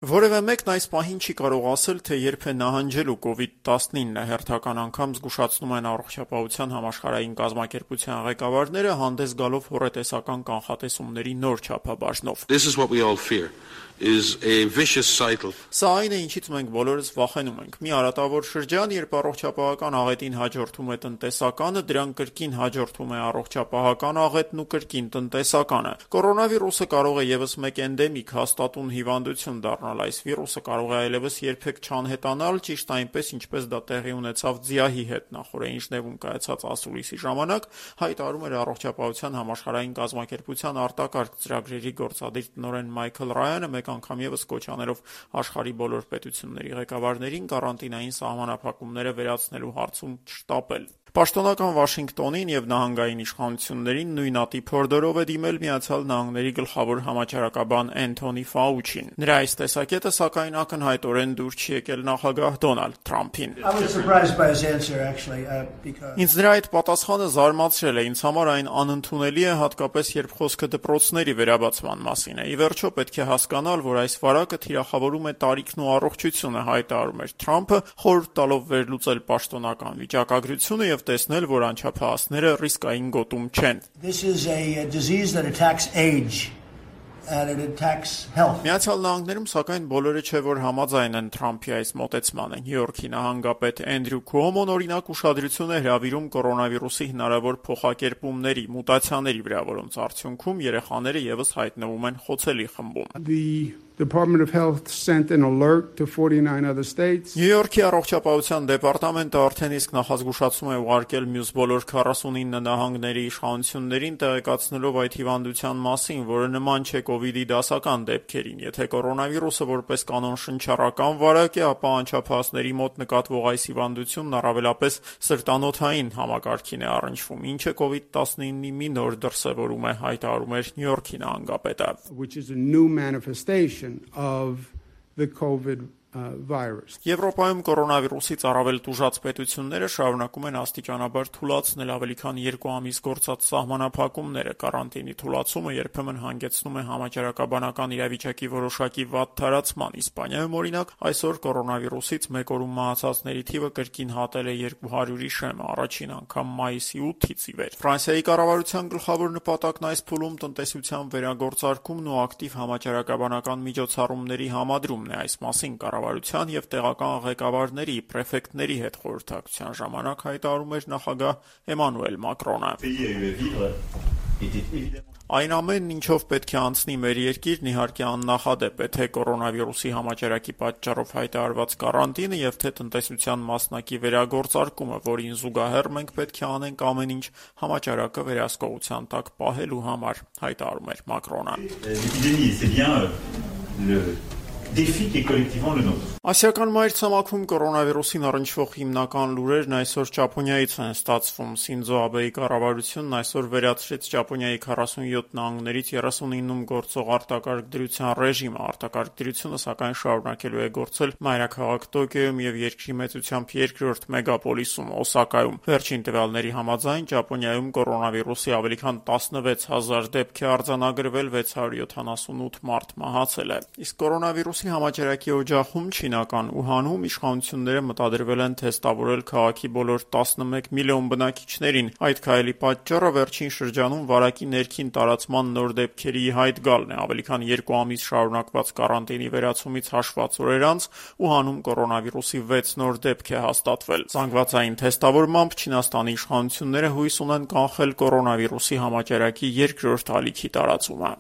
Որևէ մեկն այս պահին չի կարող ասել, թե երբ է նահանջելու COVID-19-ը, հերթական անգամ զգուշացնում են Առողջապահության համաշխարհային կազմակերպության ղեկավարները, հանդես գալով հոռետեսական կանխատեսումների նոր չափաբաժնով։ Սա այն է, ինչից մենք բոլորս վախենում ենք։ Մի արատավոր շրջան, երբ առողջապահական աղետին հաջորդում է տնտեսականը, դրան կրկին հաջորդում է առողջապահական աղետն ու կրկին տնտեսականը։ Կորոնավիրուսը կարող է ևս մեկ էնդեմիկ հաստատուն հիվանդություն դառնալ։ Այս վիրուսը կարող է այլևս երբեք չանհետանալ, ճիշտ այնպես, ինչպես դա տեղի ունեցավ ձիահի հետ նախօրեին Ժնևում կայացած ասուլիսի ժամանակ, հայտարարում էր Առողջապահության համաշխարհային կազմակերպության արտակարգ ծրագրերի գործադիր տնօրեն Մայքլ Ռայանը, մեկ անգամ ևս կոչ անելով աշխարհի բոլոր պետությունների ղեկավարներին կարանտինային սահմանափակումները վերացնելու հարցում չշտապել։ Պաշտոնական Վաշինգտոնին եւ նահանգային իշխանություններին նույնատիպ հորդորով է դիմել Միացյալ Նահանգների գլխավոր համաճարակաբան Էնթոնի Ֆաուչին։ Նրա այս տեսակետը, սակայն, ակնհայտորեն դուր չի եկել նախագահ Դոնալդ Թրամփին։ Ինձ նրա այդ պատասխանը զարմացրել է, ինձ համար այն անընդունելի է, հատկապես երբ խոսքը դպրոցների վերաբացման մասին է։ Ի վերջո պետք է հասկանալ, որ այս վարակը թիրախավորում է տարիքն ու առողջությունը, հայտարարում էր Թրամփը, խորհուրդ տալով վերլուծել պաշտոնական վիճակագրությունը եւ տեսնել, որ անչափահասները ռիսկային գոտում չեն։ Միացյալ Նահանգներում, սակայն, բոլորը չէ, որ համաձայն են Թրամփի այս մոտեցմանը։ Նյու Յորքի նահանգապետ Էնդրյու Քուոմոն, օրինակ, ուշադրություն է հրավիրում կորոնավիրուսի հնարավոր փոխակերպումների, մուտացիաների վրա, որոնց արդյունքում երեխաները ևս հայտնվում են խոցելի խմբում։ Department of Health sent an alert to 49 other states. Նյու Յորքի առողջապահության դեպարտամենտը արդեն իսկ նախազգուշացում է ուղարկել մյուս բոլոր 49 նահանգների իշխանություններին, տեղեկացնելով այդ հիվանդության մասին, որը նման չէ COVID-ի դասական դեպքերին։ Եթե կորոնավիրուսը որպես կանոն շնչառական վարակ է, ապա անչափահասների մոտ նկատվող այս հիվանդությունն առավելապես սրտանոթային համակարգին է առնչվում, ինչը COVID-19-ի մի նոր դրսևորում է, հայտարարում էր Նյու Յորքի նահանգապետը։ Which is a new manifestation of the COVID virus. Եվրոպայում կորոնավիրուսից առավել տուժած պետությունները շարունակում են աստիճանաբար թուլացնել ավելի քան 2 ամիս գործած սահմանափակումները։ Կարանտինի թուլացումը երբեմն հանգեցնում է համաճարակաբանական իրավիճակի որոշակի վատ թարացման։ Իսպանիայում, օրինակ, այսօր կորոնավիրուսից մեկ օրում մահացածների թիվը կրկին հատել է 200-ի շեմը, առաջին անգամ մայիսի 8-ից ի վեր։ Ֆրանսիայի կառավարության գլխավոր նպատակն այս փուլում տնտեսության վերագործարկումն ու ակտիվ համաճարակաբանական միջոցառումների համադրումն է։ Այս մասին կառավարության եւ տեղական ղեկավարների, պրեֆեկտների հետ խորհրդակցության ժամանակ հայտարարում էր նախագահ Էմանուել Մակրոնը։ Այն ամենն, ինչով պետք է անցնի մեր երկիրն, իհարկե աննախադեպ է, թե կորոնավիրուսի համաճարակի պատճառով հայտարարված կարանտինը եւ թե տնտեսության մասնակի վերագործարկումը, որին զուգահեռ մենք պետք է անենք ամեն ինչ համաճարակը վերահսկողության տակ պահելու համար, հայտարարում էր Մակրոնը։ Ասիական մայրցամաքում կորոնավիրուսին առնչվող հիմնական լուրերն այսօր Ճապոնիայից են ստացվում։ Սինձո Աբեի կառավարությունն այսօր վերացրեց Ճապոնիայի 47 նահանգներից 39-ում գործող արտակարգ դրության ռեժիմը։ Արտակարգ դրությունը, սակայն, շարունակելու է գործել մայրաքաղաք Տոկիոյում եւ երկրի մեծությամբ երկրորդ մեգապոլիսում Օսակայում։ Վերջին տվյալների համաձայն Ճապոնիայում կորոնավիրուսի ավելի քան 16,000 դեպք է արձանագրվել, 678 մարդ մահացել է։ Իսկ կորոնավիրուսի համաճարակի օջախում Չինական Ուհանում իշխանությունները մտադրվել են թեստավորել քաղաքի բոլոր 11 միլիոն բնակիչներին։ Այդ քայլի պատճառը վերջին շրջանում վարակի ներքին տարածման նոր դեպքերի հայտ գալն է։ Ավելի քան 2 ամիս շարունակված կարանտինի վերացումից հաշված օրեր անց Ուհանում կորոնավիրուսի 6 նոր դեպք է հաստատվել։ Զանգվածային թեստավորմամբ Չինաստանի իշխանությունները հույս ունեն կանխել կորոնավիրուսի համաճարակի երկրորդ ալիքի տարածումը։